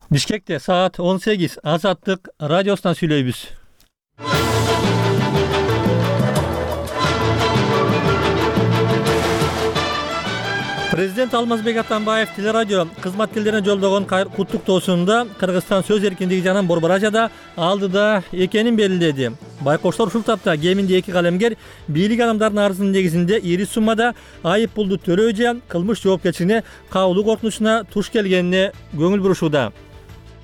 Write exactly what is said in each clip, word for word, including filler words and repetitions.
Бишкекте саат он сегиз. Азаттык радиосунан сүйлөйбүз. Президент Алмазбек Атамбаев телерадио кызматкерлерине жолдогон куттуктоосунда Кыргызстан сөз эркиндиги жана борборажада алдыда экенин белгиледи. Байкоштор ушул тапта кеминде эки калемгер бийлик адамдарынын арызынын негизинде ири суммада айып пулду төлөө же кылмыш жоопкерчилигине кабылуу коркунучуна туш келгенине көңүл бурушууда.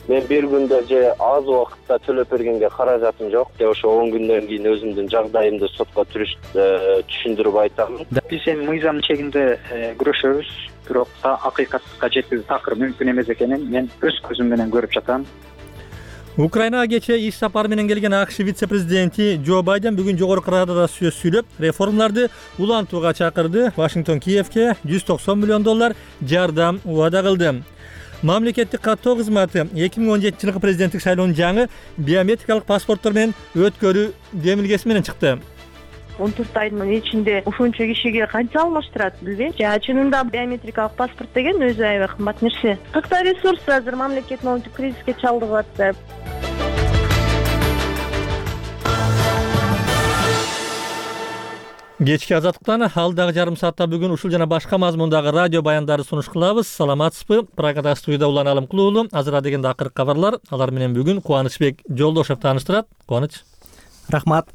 Мен бир күндө же аз убакытта төлөп бергенге каражатым жок. Ошо он күндөн кийин өзүмдүн жагдайымды сотко түшүндүрүп айтам. Биз эми мыйзам чегинде күрөшөбүз, бирок акыйкатка жеткизүү такыр мүмкүн эмес экенин мен өз көзүм менен көрүп жатам. Украинага кечээ иш сапары менен келген АКШ вице-президенти Джо Байден бүгүн жогорку Радада сөз сүйлөп, реформаларды улантууга чакырды. Вашингтон Киевке жүз токсон миллион доллар жардам убада кылды. Мамлекеттик каттоо кызматы эки миң он жетинчи жылкы президенттик шайлоонун жаңы биометрикалык паспорттор менен өткөрүү демилгеси менен чыкты. он төрт айдын ичинде ушунча кишиге канча алмаштырат билбейм. Жана чынында биометрикалык паспорт деген өзү аябай кымбат нерсе. Кыргызстан ресурсы азыр мамлекет моунтип кризиске чалдыгып атты. Кечки азаттыктан алдагы жарым саатта бүгүн ушул жана башка мазмундагы радио баяндарды сунуш кылабыз. Саламатсызбы? Прагада студияда Улан Алымкулуулу. Азыр дегенде акыркы кабарлар. Алар менен бүгүн Кубанычбек Жолдошев тааныштырат. Кубаныч. Рахмат.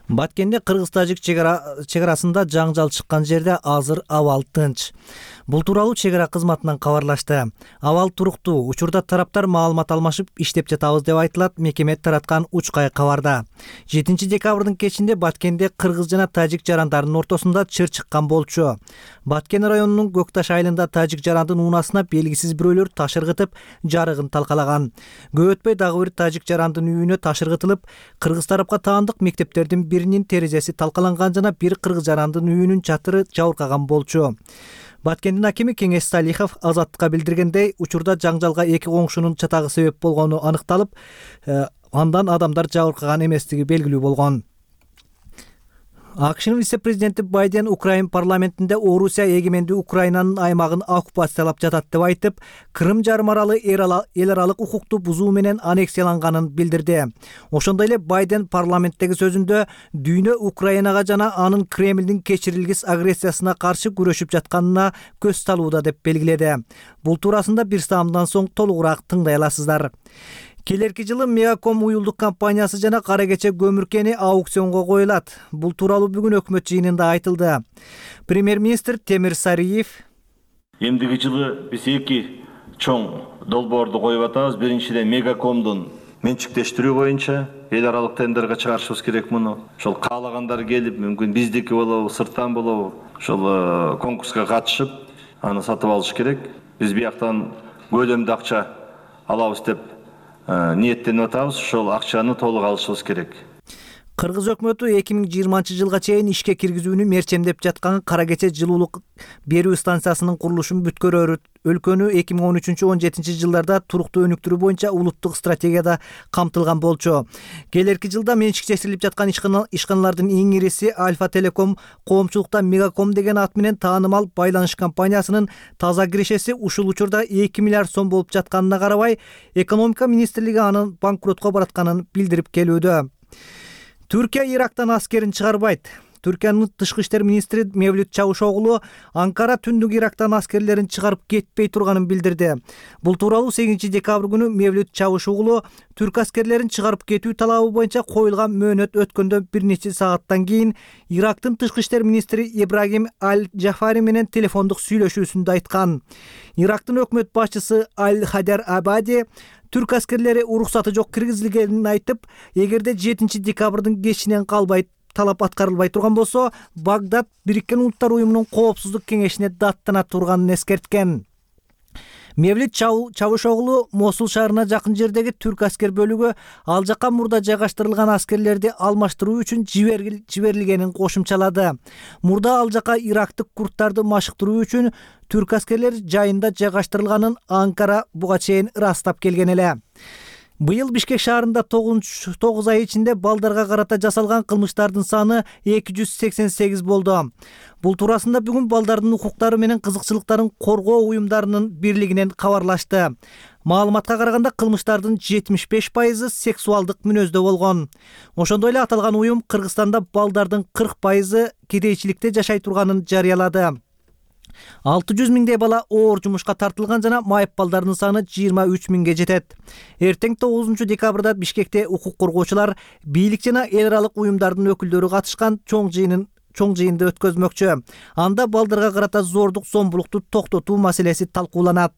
Баткенде кыргыз-тажик чегарасында жаңжал чыккан жерде азыр абал тынч. Бул тууралуу чегара кызматынан кабарлашты. Абал туруктуу, учурда тараптар маалымат алмашып иштеп жатабыз деп айтылат мекеме тараткан учкай кабарда. жетинчи декабрдын кечинде Баткенде кыргыз жана тажик жарандарынын ортосунда чыр чыккан болчу. Баткен районунун Көкташ айылында тажик жарандын уунасына белгисиз бирөөлөр таш ыргытып, жарыгын талкалаган. Көп өтпөй дагы бир тажик жарандын үйүнө таш ыргытылып, кыргыз тарапка таандык мектептердин биринин терезеси талкаланган жана бир кыргыз жарандын үйүнүн чатыры жабыркаган болчу. Баткендин акими Кеңеш Салихов Азаттыкка билдиргендей, учурда жаңжалга эки коңшунун чатагы себеп болгону аныкталып, андан адамдар жабыркаган эместиги белгилүү болгон. АКШнын вице-президенти Байден Украин парламентинде Орусия эгемендүү Украинанын аймагын оккупациялап жатат деп айтып, Крым жарым аралы эл аралык укукту бузуу менен аннексияланганын билдирди. Ошондой эле Байден парламенттеги сөзүндө дүйнө Украинага жана анын Кремлдин кечирилгис агрессиясына каршы күрөшүп жатканына көз салууда деп белгиледи. Бул туурасында бир саамдан соң толугураак тыңдай аласыздар. Келерки жылы Мегаком уюлдук компаниясы жана кара кече көмүркени аукционго коюлат. Бул тууралуу бүгүн өкмөт жыйынында айтылды. Премьер-министр Темир Сариев эмдиги жылы биз эки чоң долбоорду коюп атабыз. Биринчиден Мегакомдун менчиктештирүү боюнча эл аралык тендерге чыгарышыбыз керек муну. Ошол каалагандар келип, мүмкүн биздики болобу, сырттан болобу, ошол конкурска катышып, аны сатып алыш керек. Биз бияктан көлөмдүү акча алабыз деп ниеттенип атабыз. Ошол акчаны толук алышыбыз керек. Кыргыз өкмөтү эки миң жыйырманчы жылга чейин ишке киргизүүнү мерчемдеп жаткан кара кече жылуулук берүү станциясынын курулушун бүткөрөөрү өлкөнү эки миң он үчүнчү — он жетинчи жылдарда туруктуу өнүктүрүү боюнча улуттук стратегияда камтылган болчу. Келерки жылда менчиктештирилип жаткан ишканалардын эң ириси Альфа Телеком, коомчулукта Мегаком деген ат менен таанымал байланыш компаниясынын таза кирешеси ушул учурда эки миллиард сом болуп жатканына карабай, экономика министрлиги анын банкротко баратканын билдирип келүүдө. Түркия Ирактан аскерин чыгарбайт. Түркиянын тышкы иштер министри Мевлют Чавушоглу Анкара түндүк Ирактан аскерлерин чыгарып кетпей турганын билдирди. Бул тууралуу сегизинчи декабрь күнү Мевлют Чавушоглу түрк аскерлерин чыгарып кетүү талабы боюнча коюлган мөөнөт өткөндөн бир нече сааттан кийин Ирактын тышкы иштер министри Ибрагим Аль-Джафари менен телефондук сүйлөшүүсүндө айткан. Ирактын өкмөт башчысы Аль-Хадар Абади түрк аскерлери уруксаты жок киргизилгенин айтып, эгерде жетинчи декабрдын кечинен калбай талап аткарылбай турган болсо, Багдад Бириккен Улуттар уюмунун коопсуздук кеңешине даттана турганын эскерткен. Мевлют Чавушоглу Мосул шаарына жакын жердеги түрк аскер бөлүгү ал жакка мурда жайгаштырылган аскерлерди алмаштыруу үчүн жиберилгенин кошумчалады. Мурда ал жакка ирактык курдтарды машыктыруу үчүн түрк аскерлери жайында жайгаштырылганын Анкара буга чейин ырастап келген эле. Быйыл Бишкек шаарында тогуз ай ичинде балдарга карата жасалган кылмыштардын саны эки жүз сексен сегиз болду. Бул туурасында бүгүн балдардын укуктары менен кызыкчылыктарын коргоо уюмдарынын бирлигинен кабарлашты. Маалыматка караганда кылмыштардын жетимиш беш пайызы сексуалдык мүнөздө болгон. Ошондой эле аталган уюм Кыргызстанда балдардын кырк пайызы кедейчиликте жашай турганын жарыялады. алты жүз миңдей бала оор жумушка тартылган жана майып балдардын саны жыйырма үч миңге жетет. Эртең тогузунчу декабрда Бишкекте укук коргоочулар, бийлик жана эл аралык уюмдардын өкүлдөрү катышкан чоң жыйынын чоң жыйынды өткөзмөкчү. Анда балдарга карата зордук зомбулукту токтотуу маселеси талкууланат.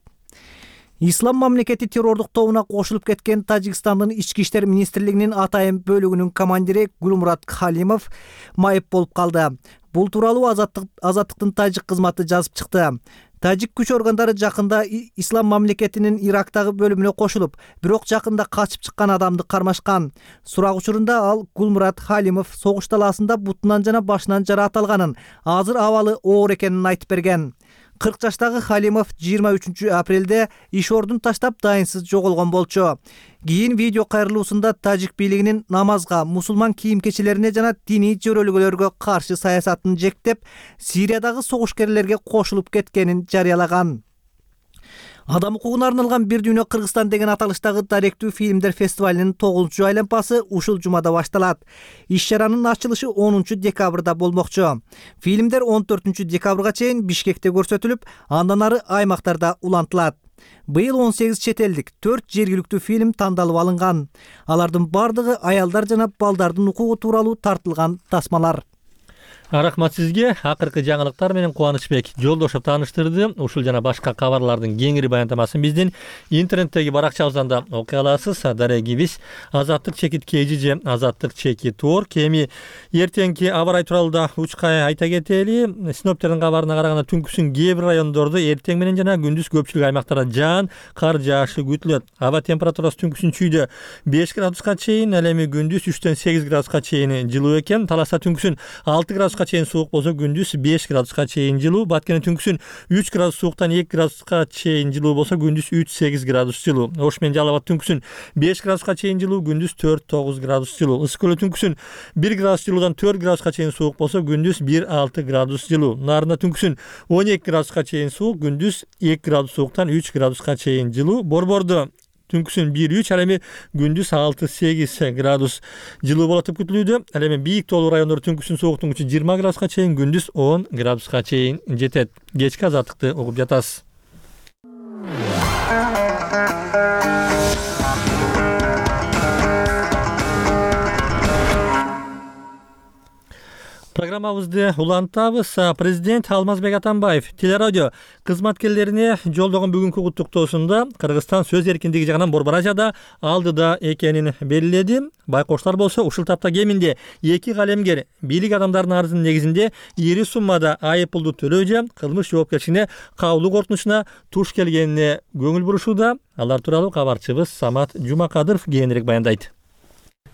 Ислам мамлекети террордук тобуна кошулуп кеткен Тажикстандын ички иштер министрлигинин атайын бөлүгүнүн командири Гулмурат Халимов майып болуп калды. Бул тууралуу Азаттык Азаттыктын тажик кызматы жазып чыкты. Тажик күч органдары жакында Ислам мамлекетинин Ирактагы бөлүмүнө кошулуп, бирок жакында качып чыккан адамды кармашкан. Сурак учурунда ал Гулмурат Халимов согуш талаасында бутунан жана башынан жараат алганын, азыр абалы оор экенин айтып берген. кырк жаштагы Халимов жыйырма үчүнчү апрелде иш ордун таштап дайынсыз жоголгон болчу. Кийин видео кайрылуусунда тажик бийлигинин намазга, мусулман кийим-кечелерине жана диний жөрөлгөлөргө каршы саясатын жектеп, Сириядагы согушкерлерге кошулуп кеткенин жарыялаган. Адам укугуна арналган Бир дүйнө Кыргызстан деген аталыштагы даректүү фильмдер фестивалынын тогузунчу айланпасы ушул жумада башталат. Иш-чаранын ачылышы онунчу декабрда болмокчу. Фильмдер он төртүнчү декабрга чейин Бишкекте көрсөтүлүп, андан ары аймактарда улантылат. Быйыл он сегиз чет элдик, төрт жергиликтүү фильм тандалып алынган. Алардын бардыгы аялдар жана балдардын укугу тууралуу тартылган тасмалар. Рахмат сизге. Акыркы жаңылыктар менен Кубанычбек Жолдошов тааныштырды. Ушул жана башка кабарлардын кеңири баяндамасын биздин интернеттеги баракчабыздан да окуй аласыз. Дарегибиз Азаттык чекит кж же Азаттык чекит орг. Эми эртеңки аба ырайы тууралуу да учкай айта кетели. Синоптиктердин кабарына караганда түнкүсүн кээ бир райондордо эртең менен жана күндүз көпчүлүк аймактарда жаан, кар жаашы күтүлөт. Аба температурасы түнкүсүн чүйдө беш градуска чейин, ал эми күндүз үчтөн сегиз градуска чейин жылуу экен. Таласта түнкүсүн алты градуска чейин суук болсо, күндүз беш градуска чейин жылуу. Баткенде түнкүсүн үч градус сууктан эки градуска чейин жылуу болсо, күндүз үч сегиз градус жылуу. Ош менен Жалал Абад түнкүсүн беш градуска чейин жылуу, күндүз төрт тогуз градус жылуу. Ысык көлдө түнкүсүн бир градус жылуудан төрт градуска чейин суук болсо, күндүз бир алты градус жылуу. Нарында түнкүсүн он эки градуска чейин суук, күндүз эки градус сууктан үч градуска чейин жылуу. Борбордо түнкүсүн бир үч, ал эми күндүз алты сегиз градус жылуу болот деп күтүлүүдө. Ал эми бийик тоолуу райондордо түнкүсүн сууктугун күчү жыйырма градуска чейин, күндүз он градуска чейин жетет. Кечки азаттыкты угуп жатасыз. Программабызды улантабыз. Президент Алмазбек Атамбаев телерадио кызматкерлерине жолдогон бүгүнкү куттуктоосунда Кыргызстан сөз эркиндиги жагынан борборажада алдыда экенин белгиледи. Байкоштор болсо ушул тапта кеминде эки калемгер бийлик адамдарынын арызынын негизинде ири суммада айып пулду төлөө же кылмыш жоопкерчилигине кабылуу коркунучуна туш келгенине көңүл бурушууда. Алар тууралуу кабарчыбыз Самат Жумакадыров кийинирээк баяндайт.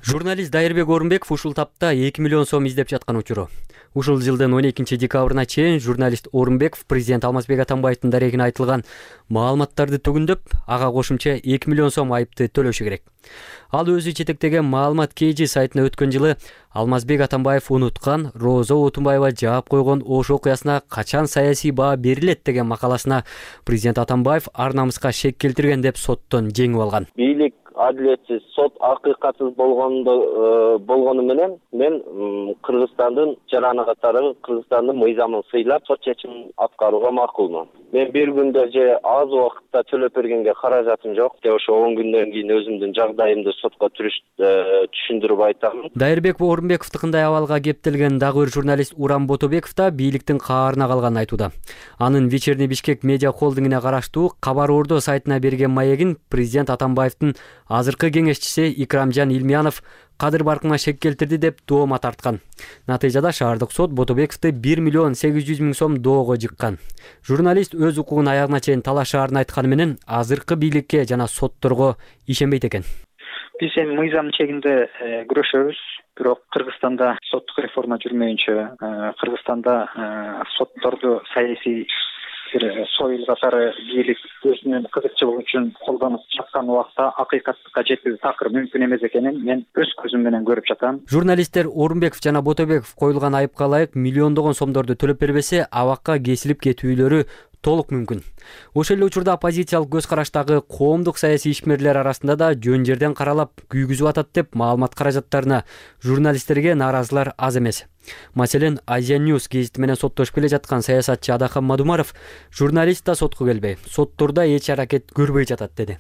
Журналист Дайырбек Орунбеков ушул тапта эки миллион сом издеп жаткан учуру. Ушул жылдын он экинчи декабрына чейин журналист Орунбеков президент Алмазбек Атамбаевдин дарегине айтылган маалыматтарды түгүндөп, ага кошумча эки миллион сом айыпты төлөшү керек. Ал өзү жетектеген маалымат kg сайтына өткөн жылы Алмазбек Атамбаев унуткан, Роза Отунбаева жаап койгон Ош окуясына качан саясий баа берилет деген макаласына президент Атамбаев ар намыска шек келтирген деп соттон жеңип алган. Бийлик адилетсиз, сот акыйкатсыз болгондо болгону менен мен Кыргызстандын жараны катары Кыргызстандын мыйзамын сыйлап сот чечимин аткарууга макулмун. Мен бир күндө же аз убакытта төлөп бергенге каражатым жок. Ошо он күндөн кийин өзүмдүн жагдайымды сотко түшүндүрүп айтам. Дайырбек Орунбековдукундай абалга кептелген дагы бир журналист Урам Ботобеков да бийликтин каарына калганын айтууда. Анын Вечерний Бишкек медиа холдингине караштуу Кабар Ордо сайтына берген маегин президент Атамбаевдин азыркы кеңешчиси Икрамжан Илмиянов кадыр баркына шек келтирди деп доома тарткан. Натыйжада шаардык сот Ботобековду бир миллион сегиз жүз миң сом доого жыккан. Журналист өз укугун аягына чейин талашаарын айтканы менен азыркы бийликке жана сотторго ишенбейт экен. Биз эми мыйзам чегинде күрөшөбүз, бирок Кыргызстанда соттук реформа жүрмөйүнчө, Кыргызстанда сотторду саясий союл катары бийлик өзүнүн кызыкчылыгы үчүн колдонуп жаткан убакта акыйкаттыкка жетүү такыр мүмкүн эмес экенин мен өз көзүм менен көрүп жатам. Журналисттер Орунбеков жана Ботобеков коюлган айыпка ылайык миллиондогон сомдорду төлөп бербесе, абакка кесилип кетүүлөрү толук мүмкүн. Ошол эле учурда оппозициялык көз караштагы коомдук саясий ишмерлер арасында да жөн жерден каралап күйгүзүп атат деп маалымат каражаттарына журналисттерге нааразылар аз эмес. Маселен, Азия News гезити менен соттошуп келе жаткан саясатчы Адахан Мадумаров журналист да сотко келбей, соттордо эч аракет көрбөй жатат деди.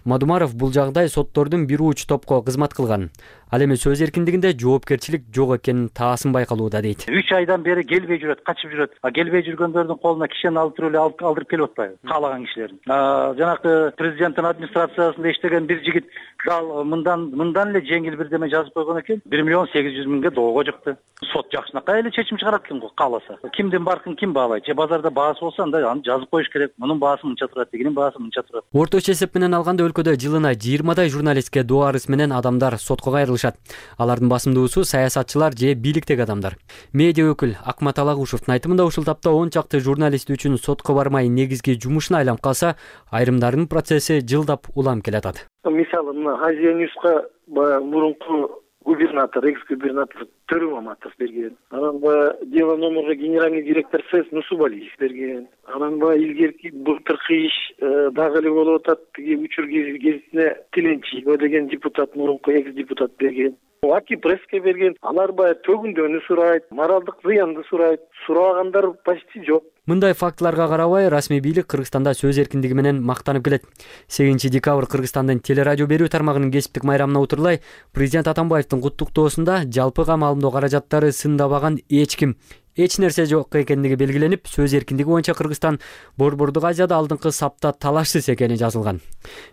Мадумаров бул жагдай соттордун бир уч топко кызмат кылган. Ал эми сөз эркиндигинде жоопкерчилик жок экенин таасын байкалууда дейт. үч айдан бери келбей жүрөт, качып жүрөт. А келбей жүргөндөрдүн колуна кишени алып туруп эле алдырып келип атпайбы? Каалаган кишилерин. Жанакы президенттин администрациясында иштеген бир жигит дал мындан мындан эле жеңил бирдеме жазып койгон экен. бир миллион сегиз жүз миңге доого чыкты. Сот жакшынакай эле чечим чыгарат экен го кааласа. Кимдин баркын ким баалайт? Же базарда баасы болсо анда аны жазып коюш керек. Мунун баасы мынча турат, дегенин баасы мынча турат. Орточо эсеп менен алганда өлкөдө жылына жыйырмадай журналистке доо арыз менен адамдар сотко кайрылышат. Алардын басымдуусу саясатчылар же бийликтеги адамдар. Медиа өкүл Акмат Алагушевдун айтымында ушул тапта он чакты журналист үчүн сотко бармай негизги жумушуна айланып калса, айрымдарынын процесси жылдап улам келатат. Мисалы, мына Азия Ньюска баягы мурунку губернатор, экс-губернатор Төрү Маматов берген. Анан баягы дело номерге генеральный директор СЭС Нусубалиев берген. Анан баягы илгерки былтыркы иш дагы эле болуп атат. Тиги учур гезитине Тиленчиева деген депутат, мурунку экс-депутат берген. Аки пресске берген. Алар баягы төгүндөнү сурайт, моралдык зыянды сурайт. Сурагандар почти жок. Мындай фактыларга карабай, расмий бийлик Кыргызстанда сөз эркиндиги менен мактанып келет. сегизинчи декабрь Кыргызстандын телерадио берүү тармагынын кесиптик майрамына утурлай президент Атамбаевдин куттуктоосунда жалпыга маалымдоо каражаттары сындабаган эч ким, эч нерсе жок экендиги белгиленип, сөз эркиндиги боюнча Кыргызстан Борбордук Азияда алдыңкы сапта талашсыз экени жазылган.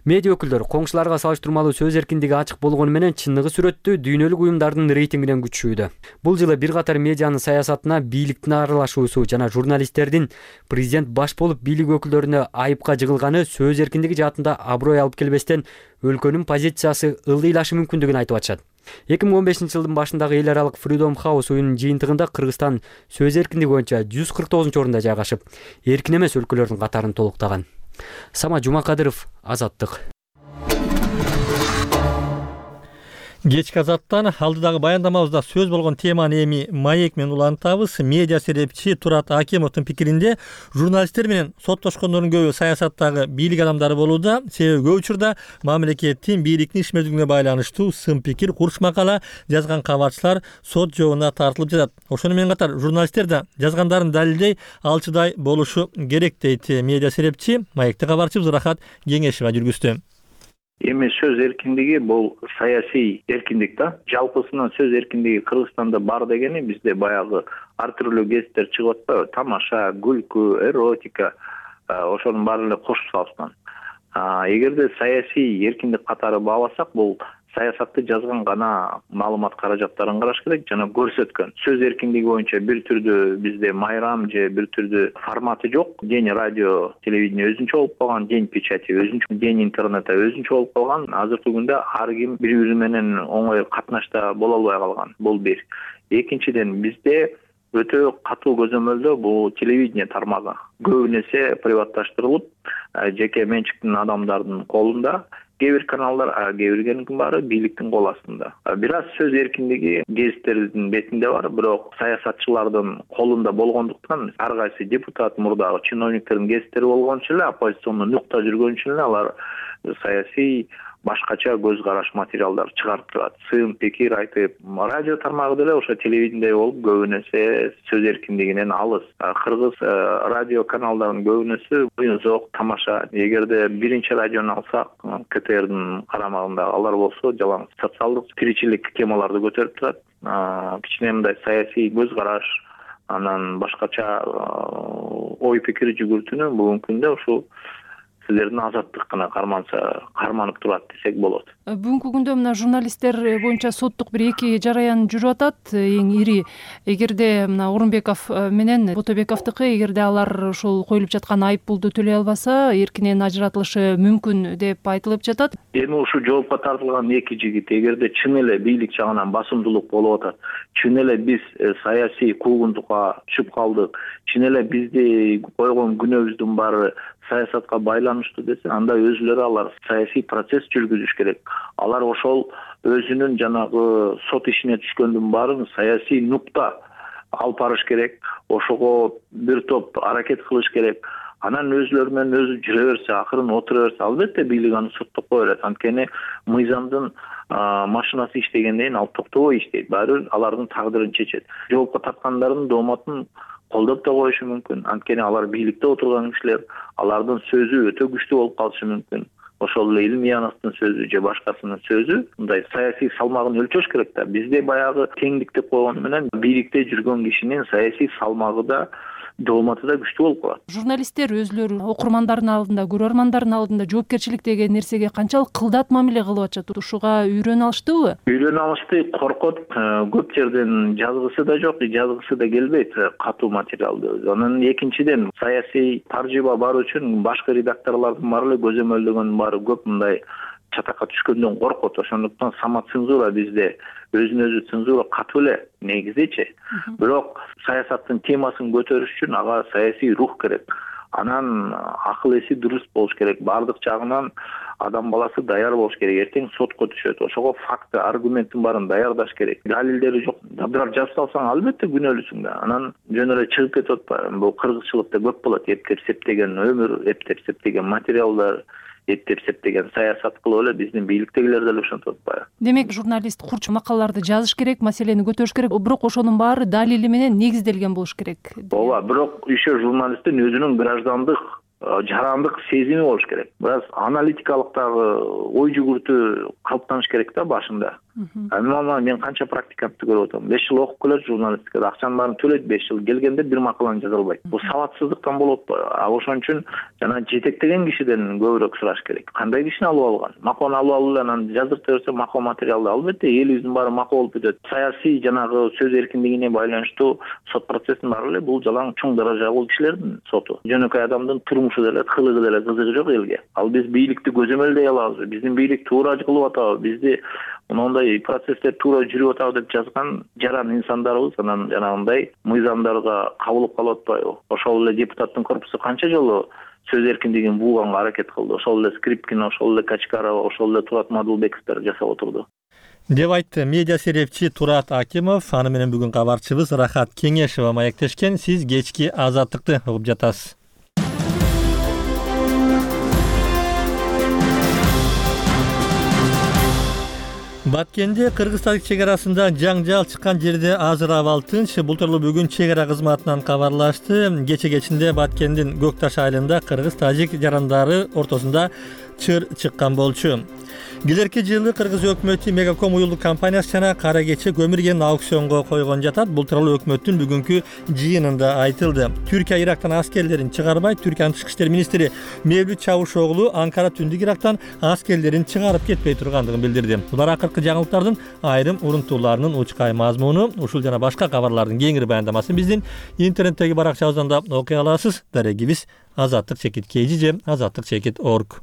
Медиа өкүлдөр коңшуларга салыштырмалуу сөз эркиндиги ачык болгону менен чындыгы сүрөттүү дүйнөлүк уюмдардын рейтингинен күчшүүдө. Бул жылы бир катар медианын саясатына бийликтин аралашуусу жана журналисттердин президент баш болуп бийлик өкүлдөрүнө айыпка жыгылганы сөз эркиндиги жаатында аброй алып келбестен өлкөнүн позициясы ылдыйлашы мүмкүндүгүн айтып атышат. эки миң он бешинчи жылдын башындагы эл аралык Freedom House оюнунун жыйынтыгында Кыргызстан сөз эркиндиги боюнча жүз кырк тогузунчу орунда жайгашып, эркин эмес өлкөлөрдүн катарын толуктаган. Сама Жумакадыров, Азаттык. Кечки Азаттан алдыдагы баяндамабызда сөз болгон теманы эми маек менен улантабыз. Медиа серепчи Турат Акимовдун пикиринде, журналисттер менен соттошкондордун көбү саясаттагы бийлик адамдары болууда. Себеби көп учурда мамлекеттин бийликтин ишмердүүлүгүнө байланыштуу сын пикир, курч макала жазган кабарчылар сот жообуна тартылып жатат. Ошону менен катар журналисттер да жазгандарын далилдей алчыдай болушу керек дейт медиа серепчи. Маекте кабарчыбыз Рахат Кеңешева жүргүздү. Эми сөз эркиндиги бул саясий эркиндик да. Жалпысынан сөз эркиндиги Кыргызстанда бар дегени бизде баягы ар түрдүү гезиттер чыгып атпайбы? Тамаша, күлкү, эротика, ошонун баары эле кошуп салыштан. Эгерде саясий эркиндик катары бааласак, бул саясатты жазган гана маалымат каражаттарын караш керек жана көрсөткөн. Сөз эркиндиги боюнча бир түрдүү бизде майрам же бир түрдүү форматы жок. День радио, телевидение өзүнчө болуп калган, день печати өзүнчө, день интернета өзүнчө болуп калган. Азыркы күндө ар ким бири-бири менен оңой катнашта боло албай калган. Бул бир. Экинчиден, бизде өтө катуу көзөмөлдө бул телевидение тармагы көбү нерсе приватташтырылып, жеке менчиктин адамдардын колунда. Кээ бир каналдар, кээ биринин баары бийликтин кол астында. Бир аз сөз эркиндиги гезиттердин бетинде бар, бирок саясатчылардын колунда болгондуктан ар кайсы депутат, мурдагы чиновниктердин гезиттери болгончу эле, оппозициондун нукта жүргөнчү эле алар саясий башкача көз караш материалдар чыгарып турат. Сын пикир айтып, радио тармагы деле ошо телевидение болуп көбү нерсе сөз эркиндигинен алыс. Кыргыз радио каналдарынын көбүнөсү Буюнзок, Тамаша. Эгерде биринчи радиону алсак, КТРдин карамагында алар болсо жалаң социалдык тиричилик темаларды көтөрүп турат. Кичине мындай саясий көз караш, анан башкача ой пикир жүгүртүүнү бүгүнкү күндө ушул силердин азаттык гана карманса, карманып турат десек болот. Бүгүнкү күндө мына журналисттер боюнча соттук бир эки жараян жүрүп атат. Эң ири, эгерде мына Орунбеков менен Ботобековдуку, эгерде алар ушул коюлуп жаткан айып пулду төлөй албаса, эркинен ажыратылышы мүмкүн деп айтылып жатат. Эми ушул жоопко тартылган эки жигит эгерде чын эле бийлик жагынан басымдуулук болуп атат, чын эле биз саясий куугунтукка түшүп калдык, чын эле бизди койгон күнөөбүздүн баары саясатка байланыштуу десе, анда өзүлөрү алар саясий процесс жүргүзүш керек. Алар ошол өзүнүн жанагы сот ишине түшкөндүн баарын саясий нукта алып барыш керек. Ошого бир топ аракет кылыш керек. анан өзүлөрү менен өзү жүрө берсе, акырын отура берсе, албетте бийлик аны соттоп кое берет. Анткени мыйзамдын машинасы иштегенден кийин ал токтобой иштейт. Баары бир алардын тагдырын чечет. Жоопко тарткандардын дооматын колдоп да коюшу мүмкүн. Анткени алар бийликте отурган кишилер, алардын сөзү өтө күчтүү болуп калышы мүмкүн. Ошол эле илимий анастын сөзү же башкасынын сөзү мындай саясий салмагын өлчөш керек да. Бизде баягы теңдик деп койгону менен бийликте жүргөн кишинин саясий салмагы да дооматы да күчтүү болуп калат. Журналисттер өзүлөрү окурмандардын алдында, көрөрмандардын алдында жоопкерчилик деген нерсеге канчалык кылдат мамиле кылып атышат? Ушуга үйрөнө алыштыбы? Үйрөнө алышты, коркот. Көп жерден жазгысы да жок, жазгысы да келбейт катуу материалды. Анан экинчиден саясий таржыба бар үчүн башкы редакторлордун баары эле көзөмөлдөгөн баары көп мындай чатакка түшкөндөн коркот. Ошондуктан самоцензура бизде өзүнө өзү цензура катуу эле негизичи. Бирок саясаттын темасын көтөрүш үчүн ага саясий рух керек. Анан акыл эси дурус болуш керек. Бардык жагынан адам баласы даяр болуш керек. Эртең сотко түшөт. Ошого факты, аргументтин баарын даярдаш керек. Далилдери жок. Бирок жазып салсаң, албетте күнөөлүсүң да. Анан жөн эле чыгып кетип атпайбы? Бул кыргызчылыкта көп болот. Эптеп септеген өмүр, эптеп септеген материалдар, эптеп септеген саясат кылып эле биздин бийликтегилер деле ошентип атпайбы? Демек, журналист курч макалаларды жазыш керек, маселени көтөрүш керек, бирок ошонун баары далили менен негизделген болуш керек. Ооба, бирок еще журналисттин өзүнүн граждандык жарандык сезими болуш керек. Бираз аналитикалыктагы ой жүгүртүү калыптаныш керек да башында. Анан мен канча практикантты көрүп атам. беш жыл окуп келет журналистикада, акчанын баарын төлөйт, беш жыл келгенде бир макаланы жаза албайт. Бул сабатсыздыктан болот атпайбы? А ошон үчүн жана жетектеген кишиден көбүрөөк сураш керек. Кандай кишини алып алган? Макаланы алып алып эле анан жаздырта берсе макал материалды, албетте элибиздин баары макал болуп кетет. Саясий жанагы сөз эркиндигине байланыштуу сот процессин баары эле бул жалаң чоң даражалуу кишилердин соту. Жөнөкөй адамдын турмушу деле, кылыгы деле кызыгы жок элге. Ал биз бийликти көзөмөлдөй алабызбы? Биздин бийлик туура кылып атабы? Бизди мындай процесстер туура жүрүп атабы деп жазган жаран инсандарыбыз анан жанагындай мыйзамдарга кабылып калып атпайбы? Ошол эле депутаттын корпусу канча жолу сөз эркиндигин бууганга аракет кылды. Ошол эле Скрипкин, ошол эле Качкарова, ошол эле Турат Мадылбековдор жасап отурду. Деп айтты медиа серепчи Турат Акимов. Аны менен бүгүн кабарчыбыз Рахат Кеңешова маектешкен. Сиз кечки Азаттыкты угуп жатасыз. Баткенде Кыргыз-Тажик чек арасында жаңжал чыккан жерде азыр абал тынч. Бул тууралуу бүгүн чек ара кызматынан кабарлашты. Кече кечинде Баткендин Көкташ айылында Кыргыз-Тажик жарандары ортосунда чыр чыккан болчу. Келерки жылы Кыргыз өкмөтү Мегаком уюлдук компаниясы жана Кара Кече көмүр кенин аукционго койгон жатат. Бул тууралуу өкмөттүн бүгүнкү жыйынында айтылды. Түркия Ирактан аскерлерин чыгарбай, Түркиянын тышкы иштер министри Мевлют Чавушоглу Анкара түндүк Ирактан аскерлерин чыгарып кетпей тургандыгын билдирди. Булар акыркы жаңылыктардын айрым урунтууларынын учкай мазмуну. Ушул жана башка кабарлардын кеңири баяндамасын биздин интернеттеги баракчабыздан окуй аласыз. Дарегибиз азаттык чекит kg же азаттык чекит org.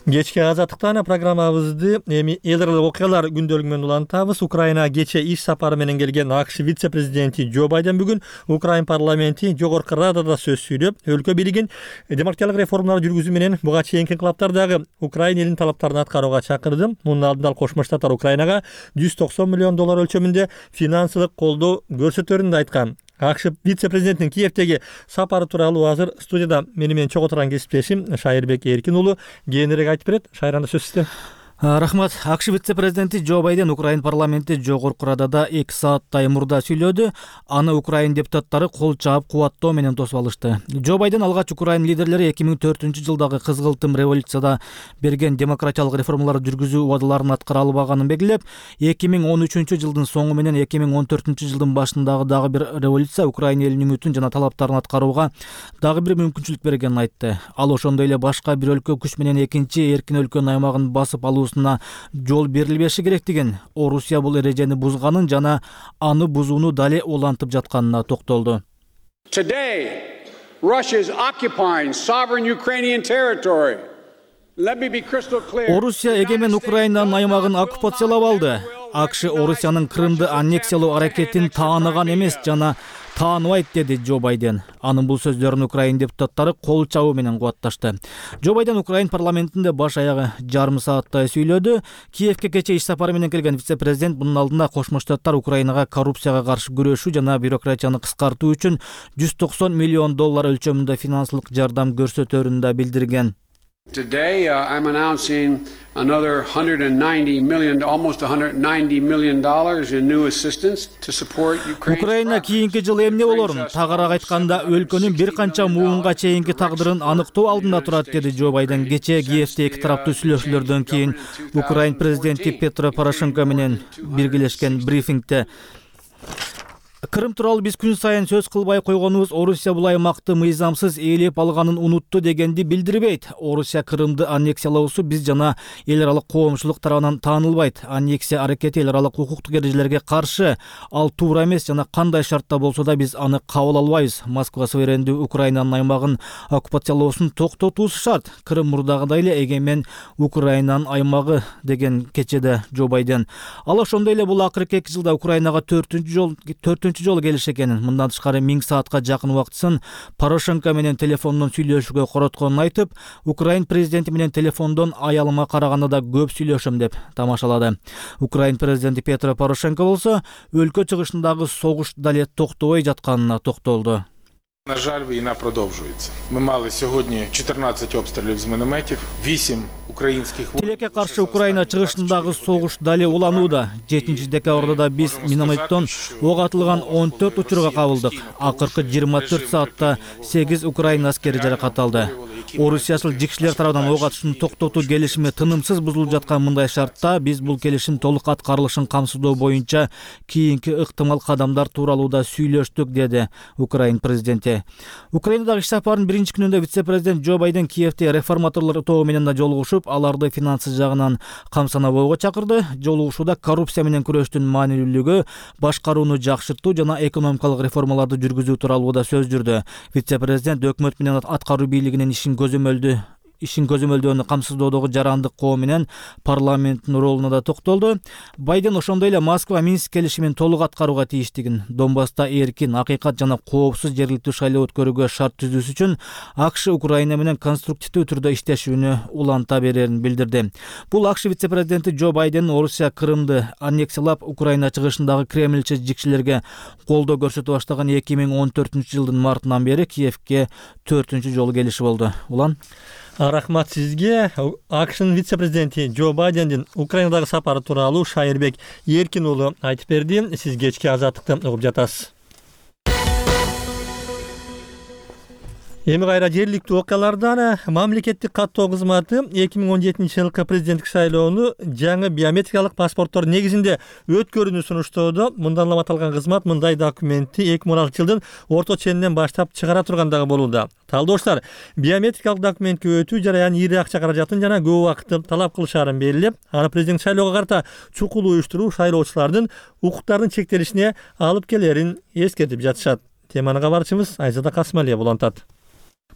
Кечки Азаттыктан программабызды эми эл аралык окуялар күндөлүгү менен улантабыз. Украина кече иш сапары менен келген АКШ вице-президенти Джо Байден бүгүн Украин парламенти Жогорку Радада сөз сүйлөп, өлкө бийлигин демократиялык реформалар жүргүзүү менен буга чейинки инкылаптардагы Украина элинин талаптарын аткарууга чакырды. Мунун алдында ал Кошмо Штаттар Украинага жүз токсон миллион доллар өлчөмүндө финансылык колдоо көрсөтөрүн да айткан. АКШ вице-президентинин Киевдеги сапары тууралуу азыр студияда мени менен чогуу турган кесиптешим Шайырбек Эркин уулу кээинирээк айтып берет. Шайранда сөз сизде. Рахмат. АКШ вице-президенти Джо Байден Украин парламенти Жогорку Радада эки сааттай мурда сүйлөдү. Аны Украин депутаттары кол чаап кубаттоо менен тосуп алышты. Джо Байден алгач Украин лидерлери эки миң төртүнчү жылдагы кызгылтым революцияда берген демократиялык реформалар жүргүзүү убадаларын аткара албаганын белгилеп, эки миң он үчүнчү жылдын соңу менен эки миң он төртүнчү жылдын башындагы дагы бир революция Украина элинин үмүтүн жана талаптарын аткарууга дагы бир мүмкүнчүлүк бергенин айтты. Ал ошондой эле башка бир өлкө күч менен экинчи эркин өлкөнүн аймагын басып алуу жол берилбеши керектигин, Орусия бул эрежени бузганын жана аны бузууну дале улантып жатканына токтолду. Today, Russia is occupying sovereign Ukrainian territory. Let me be crystal clear. Орусия эгемен Украинанын аймагын оккупациялап алды. АКШ Орусиянын Крымды аннексиялоо аракетин тааныган эмес жана тааныбайт, деди Джо Байден. Анын бул сөздөрүн Украин депутаттары кол чабуу менен кубатташты. Джо Байден Украин парламентинде баш аягы жарым сааттай сүйлөдү. Киевке кечээ иш сапары менен келген вице-президент мунун алдында Кошмо Штаттар Украинага коррупцияга каршы күрөшүү жана бюрократияны кыскартуу үчүн жүз токсон миллион доллар өлчөмүндө финансылык жардам көрсөтөрүн да билдирген. Today, uh, I'm announcing another one hundred ninety million, almost one hundred ninety million dollars in new assistance to support Ukraine. Украина кийинки жылы эмне болорун, тагыраак айтканда, өлкөнүн бир канча муунга чейинки тагдырын аныктоо алдында турат, деди Джо Байден кечээ Киевде эки тараптуу сүйлөшүүлөрдөн кийин Украин президенти Петро Порошенко менен биргелешкен брифингде. Крым тууралуу биз күн сайын сөз кылбай койгонубуз Орусия бул аймакты мыйзамсыз ээлеп алганын унутту дегенди билдирбейт. Орусия Крымды аннексиялоосу биз жана эл аралык коомчулук тарабынан таанылбайт. Аннексия аракети эл аралык укуктук эрежелерге каршы, ал туура эмес жана кандай шартта болсо да биз аны кабыл албайбыз. Москва суверендүү Украинанын аймагын оккупациялоосун токтотуусу шарт. Крым мурдагыдай эле эгемен Украинанын аймагы, деген кечеде Джо Байден. Ал ошондой эле бул акыркы эки жылда Украинага төртүнчү жол төртүнчү жолу келиш экенин, мындан тышкары миң саатка жакын убактысын Порошенко менен телефондон сүйлөшүүгө коротконун айтып, Украин президенти менен телефондон аялыма караганда да көп сүйлөшөм деп тамашалады. Украин президенти Петро Порошенко болсо өлкө чыгышындагы согуш дале токтобой жатканына токтолду. На жаль, війна продовжується. Ми мали сьогодні чотирнадцять обстрілів з мінометів, вісім українських... Тилекке каршы Украина чыгышындагы согуш дале уланууда. жетинчи декабрда да биз минометтон ок атылган он төрт учурга кабылдык. Акыркы жыйырма төрт саатта сегиз Украина аскери жаракат алды. Орусиячыл жикшилер тарабынан ок атышын токтотуу келишими тынымсыз бузулуп жаткан мындай шартта биз бул келишим толук аткарылышын камсыздоо боюнча кийинки ыктымал кадамдар тууралуу да сүйлөштүк, деди Украин президенти. Украинадагы иш сапарынын биринчи күнүндө вице-президент Джо Байден Киевде реформаторлор тобу менен да жолугушуп, аларды финансы жагынан камсанабоого чакырды. Жолугушууда коррупция менен күрөштүн маанилүүлүгү, башкарууну жакшыртуу жана экономикалык реформаларды жүргүзүү тууралуу да сөз жүрдү. Вице-президент өкмөт менен аткаруу бийлигинин ишин көзөмөлдү ишин көзөмөлдөөнү камсыздоодогу жарандык коо менен парламенттин ролуна да токтолду. Байден ошондой эле Москва Минск келишимин толук аткарууга тийиштигин, Донбасста эркин, акыйкат жана коопсуз жергиликтүү шайлоо өткөрүүгө шарт түзүүсү үчүн АКШ Украина менен конструктивдүү түрдө иштешүүнү уланта берерин билдирди. Бул АКШ вице-президенти Джо Байден Орусия Крымды аннексиялап, Украина чыгышындагы Кремльче жикшилерге колдоо көрсөтө баштаган эки миң он төртүнчү жылдын мартынан бери Киевке төртүнчү жолу келиши болду. Улан Рахмат сизге. АКШнын вице-президенти Джо Байдендин Украинадагы сапары тууралуу Шайырбек Эркин уулу айтып берди. Сиз кечки Азаттыкты угуп жатасыз. Эми кайра жергиликтүү окуялардан мамлекеттик каттоо кызматы эки миң он жетинчи жылкы президенттик шайлоону жаңы биометрикалык паспорттор негизинде өткөрүүнү сунуштоодо. Мындан улам аталган кызмат мындай документти эки миң он алтынчы жылдын орто ченинен баштап чыгара тургандыгы болууда. Талдооштор биометрикалык документке өтүү жараяны ири акча каражатын жана көп убакытты талап кылышаарын белгилеп, аны президент шайлоого карата чукул уюштуруу шайлоочулардын укуктарынын чектелишине алып келерин эскертип жатышат. Теманы кабарчыбыз Айзада Касмалия улантат.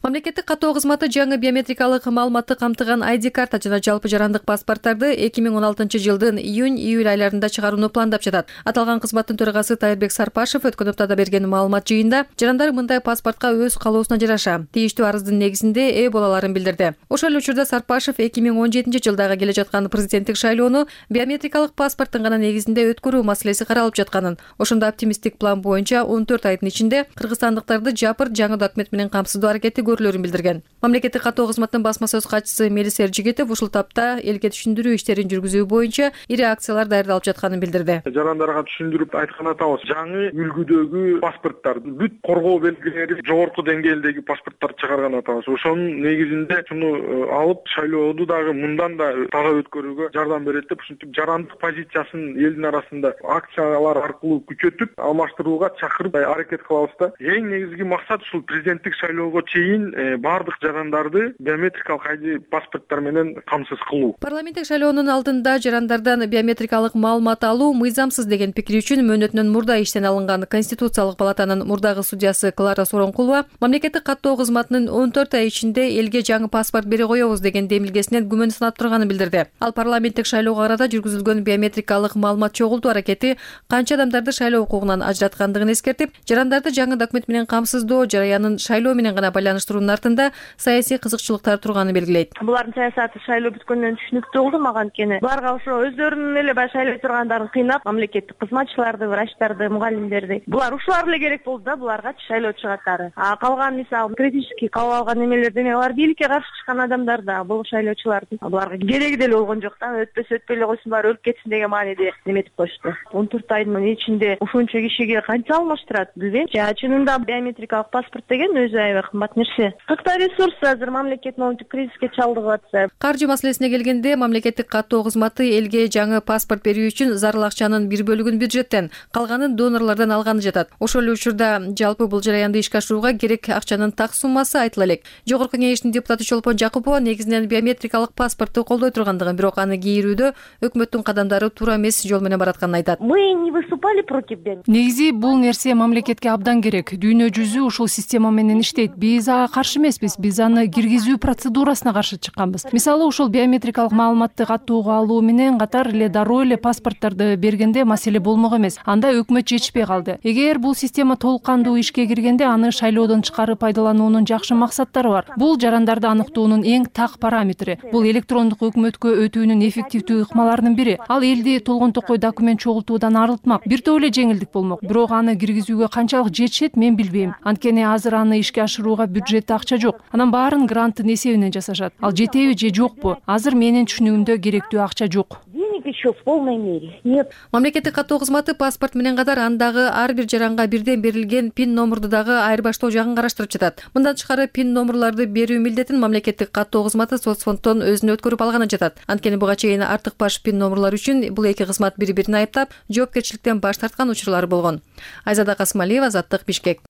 Мамлекеттик каттоо кызматы жаңы биометрикалык маалыматты камтыган ай ди карта жана жалпы жарандык паспорттарды эки миң он алтынчы жылдын июнь-июль айларында чыгарууну пландап жатат. Аталган кызматтын төрагасы Тайырбек Сарпашев өткөн аптада берген маалымат жыйында жарандар мындай паспортко өз калоосуна жараша тийиштүү арыздын негизинде ээ боло аларын билдирди. Ошол эле учурда Сарпашев эки миң он жетинчи жылдагы келе жаткан президенттик шайлоону биометрикалык паспорттун гана негизинде өткөрүү маселеси каралып жатканын, ошондо оптимисттик план боюнча он төрт айдын ичинде кыргызстандыктарды жапыр жаңы документ менен камсыздоо аракети көрүлөрүн билдирген. Мамлекеттик каттоо кызматынын басма сөз катчысы Мелис Эржигетов ушул тапта элге түшүндүрүү иштерин жүргүзүү боюнча ири акциялар даярдалып жатканын билдирди. Жарандарга түшүндүрүп айткан атабыз, жаңы үлгүдөгү паспорттарды бүт коргоо белгилери жогорку деңгээлдеги паспорттарды чыгарган атабыз. Ошонун негизинде шуну алып шайлооду дагы мындан да таза өткөрүүгө жардам берет деп ушинтип жарандык позициясын элдин арасында акциялар аркылуу күчөтүп, алмаштырууга чакырып аракет кылабыз да. Эң негизги максат ушул президенттик шайлоого чейин кийин баардык жарандарды биометрикалык ай ди паспорттор менен камсыз кылуу. Парламенттик шайлоонун алдында жарандардан биометрикалык маалымат алуу мыйзамсыз деген пикири үчүн мөөнөтүнөн мурда иштен алынган Конституциялык палатанын мурдагы судьясы Клара Сооронкулова мамлекеттик каттоо кызматынын он төрт ай ичинде элге жаңы паспорт бере коебуз деген демилгесинен күмөн санап турганын билдирди. Ал парламенттик шайлоого арада жүргүзүлгөн биометрикалык маалымат чогултуу аракети канча адамдарды шайлоо укугунан ажыраткандыгын эскертип, жарандарды жаңы документ менен камсыздоо жараянын шайлоо менен гана байланыштыруунун артында саясий кызыкчылыктар турганын белгилейт. Булардын саясаты шайлоо бүткөндөн түшүнүктүү болду мага, анткени буларга ошо өздөрүнүн эле баягы шайлой тургандарын кыйнап, мамлекеттик кызматчыларды, врачтарды, мугалимдерди булар ушулар эле керек болду да буларгачы шайлоочу катары. А калган мисалы критический кабыл алган эмелер деме алар бийликке каршы чыккан адамдар да, бул шайлоочулардын буларга кереги деле болгон жок да, өтпөсө өтпөй эле койсун, баары өлүп кетсин деген мааниде неметип коюшту. он төрт айдын ичинде ушунча кишиге канча алмаштырат билбейм. Жана чынында биометрикалык паспорт деген өзү аябай кымбат нерсе. Кыркта ресурс азыр мамлекет моунтип кризиске чалдыгып атса. Каржы маселесине келгенде мамлекеттик каттоо кызматы элге жаңы паспорт берүү үчүн зарыл акчанын бир бөлүгүн бюджеттен, калганын донорлордон алганы жатат. Ошол эле учурда жалпы бул жараянды ишке ашырууга керек акчанын так суммасы айтыла элек. Жогорку кеңештин депутаты Чолпон Жакупова негизинен биометрикалык паспортту колдой тургандыгын, бирок аны кийирүүдө өкмөттүн кадамдары туура эмес жол менен баратканын айтат. Мы не выступали против биометрики. Негизи бул нерсе мамлекетке абдан керек. Дүйнө жүзү ушул система менен иштейт. Биз ага каршы эмеспиз. Биз аны киргизүү процедурасына каршы чыкканбыз. Мисалы ушул биометрикалык маалыматты каттоого алуу менен катар эле дароо эле паспорттарды бергенде маселе болмок эмес. Анда өкмөт жетишпей калды. Эгер бул система толук кандуу ишке киргенде аны шайлоодон чыгарып пайдалануунун жакшы максаттары бар. Бул жарандарды аныктоонун эң так параметри. Бул электрондук өкмөткө өтүүнүн эффективдүү ыкмаларынын бири. Ал элди толгон токой документ чогултуудан арылтмак. Бир топ эле жеңилдик болмок. Бирок аны киргизүүгө канчалык жетишет мен билбейм. Анткени азыр аны ишке ашырууга бюджетте акча жок. Анан баарын гранттын эсебинен жасашат. Ал жетеби же жокпу? Азыр менин түшүнүгүмдө керектүү акча жок. Еще в полной мере. Нет. Мамлекеттик каттоо кызматы паспорт менен катар андагы ар бир жаранга бирден берилген пин номурду дагы айырбаштоо жагын караштырып жатат. Мындан тышкары пин номурларды берүү милдетин мамлекеттик каттоо кызматы соцфонддон өзүнө өткөрүп алганы жатат. Анткени буга чейин артык баш пин номурлар үчүн бул эки кызмат бири-бирин айыптап, жоопкерчиликтен баш тарткан учурлар болгон. Айзада Касымалиева, Азаттык, Бишкек.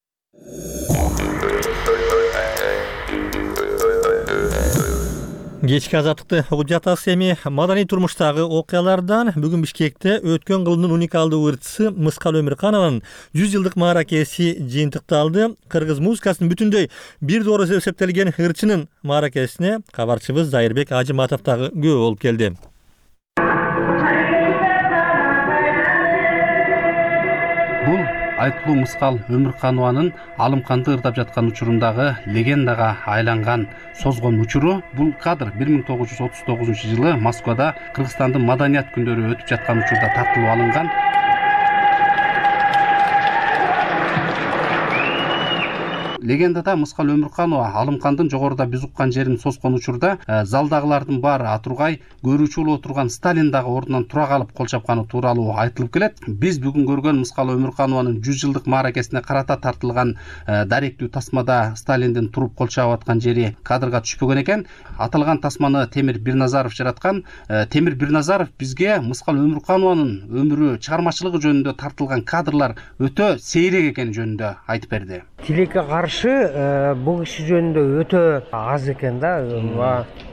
Кечки азаттыкты угуп жатасыз. Эми маданий турмуштагы окуялардан бүгүн Бишкекте өткөн кылымдын уникалдуу ырчысы Мыскал Өмүрканованын жүз жылдык мааракеси жыйынтыкталды. Кыргыз музыкасынын бүтүндөй бир доору эсептелген ырчынын мааракесине кабарчыбыз Зайырбек Ажыматов дагы күбө болуп келди. Бул айтылуу Мыскал Өмүрканованын Алымканды ырдап жаткан учурундагы легендага айланган созгон учуру. Бул кадр бир миң тогуз жүз отуз тогузунчу жылы Москвада Кыргызстандын маданият күндөрү өтүп жаткан учурда тартылып алынган. Легендада Мыскал Өмүрканова Алымкандын жогоруда биз уккан жерин соскон учурда залдагылардын баары атургай, көрүүчү болуп отурган Сталин дагы ордунан тура калып кол чапканы тууралуу айтылып келет. Биз бүгүн көргөн Мыскал Өмүрканованын жүз жылдык мааракесине карата тартылган даректүү тасмада Сталиндин туруп кол чаап аткан жери кадрга түшпөгөн экен. Аталган тасманы Темир Бирназаров жараткан. Темир Бирназаров бизге Мыскал Өмүрканованын өмүрү, чыгармачылыгы жөнүндө тартылган кадрлар өтө сейрек экени жөнүндө айтып берди. Тилекке каршы бул киши жөнүндө өтө аз экен да.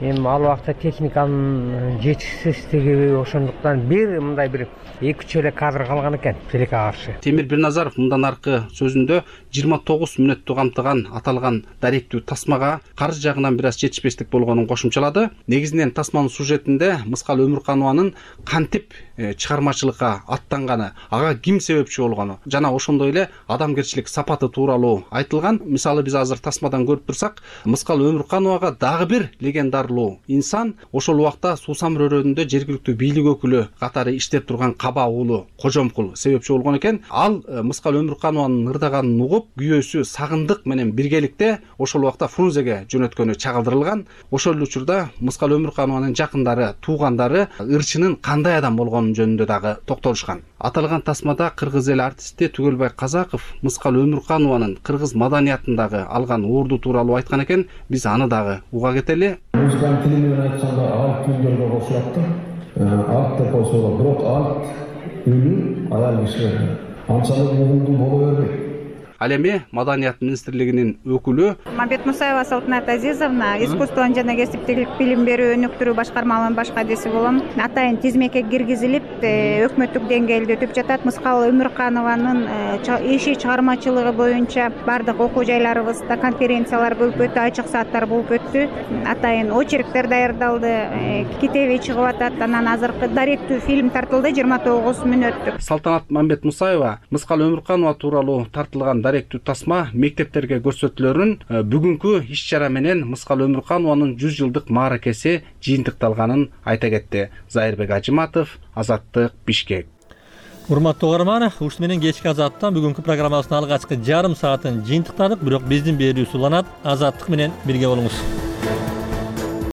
Эми ал убакта техниканын жетишсиздиги, ошондуктан бир мындай бир эки үч эле кадр калган экен тилекке каршы. Темир Бирназаров мындан аркы сөзүндө жыйырма тогуз мүнөттү камтыган аталган даректүү тасмага каржы жагынан бир аз жетишпестик болгонун кошумчалады. Негизинен тасманын сюжетинде Мыскал Өмүрканованын кантип чыгармачылыкка аттанганы, ага ким себепчи болгону жана ошондой эле адамгерчилик сапаты тууралуу айтылган. Мисалы биз азыр тасмадан көрүп турсак, Мыскал Өмүркановага дагы бир легендарлуу инсан ошол убакта Суусам районунда жергиликтүү бийлик өкүлү катары иштеп турган Каба уулу Кожомкул себепчи болгон экен. Ал Мыскал Өмүрканованын ырдаганын угуп, күйөөсү Сагындык менен биргеликте ошол убакта Фрунзеге жөнөткөнү чагылдырылган. Ошол учурда Мыскал Өмүрканованын жакындары, туугандары ырчынын кандай адам болгонун жөнүндө дагы токтолушкан. Аталган тасмада кыргыз эл артисти Түгөлбай Казаков Мыскал Өмүрканованын кыргыз маданiyatындагы алган орду тууралуу айткан экен. Биз аны дагы уга кетели. Музыканын тили менен айтканда алт күндөргө кошулат да. Алт деп койсолор, бирок алт үнү аял кишилер анчалык угумдуу боло бербейт. Ал эми Маданият министрлигинин өкүлү Мамбет Мусаева Салтанат Азизовна, искусствон жана кесиптик билим берүү өнүктүрүү башкармалыгынын баш кадиси болом. Атайын тизмеке киргизилип, өкмөттүк деңгээлде өтүп жатат. Мыскал Өмүрканованын иши чыгармачылыгы боюнча бардык окуу жайларыбызда конференциялар болуп өттү, ачык сааттар болуп өттү. Атайын очерктер даярдалды, китеби чыгып атат. Анан азыркы даректүү фильм тартылды жыйырма тогуз мүнөттүк. Салтанат Мамбет Мусаева Мыскал Өмүрканова тууралуу тартылган даректүү тасма мектептерге көрсөтүлөрүн, бүгүнкү иш-чара менен Мыскал Өмүрканованын жүз жылдык мааракеси жыйынтыкталганын айта кетти. Зайырбек Ажыматов, Азаттык, Бишкек. Урматтуу угарман, ушу менен кечки Азаттан бүгүнкү программасынын алгачкы жарым саатын жыйынтыктадык, бирок биздин берүүбүз уланат. Азаттык менен бирге болуңуз.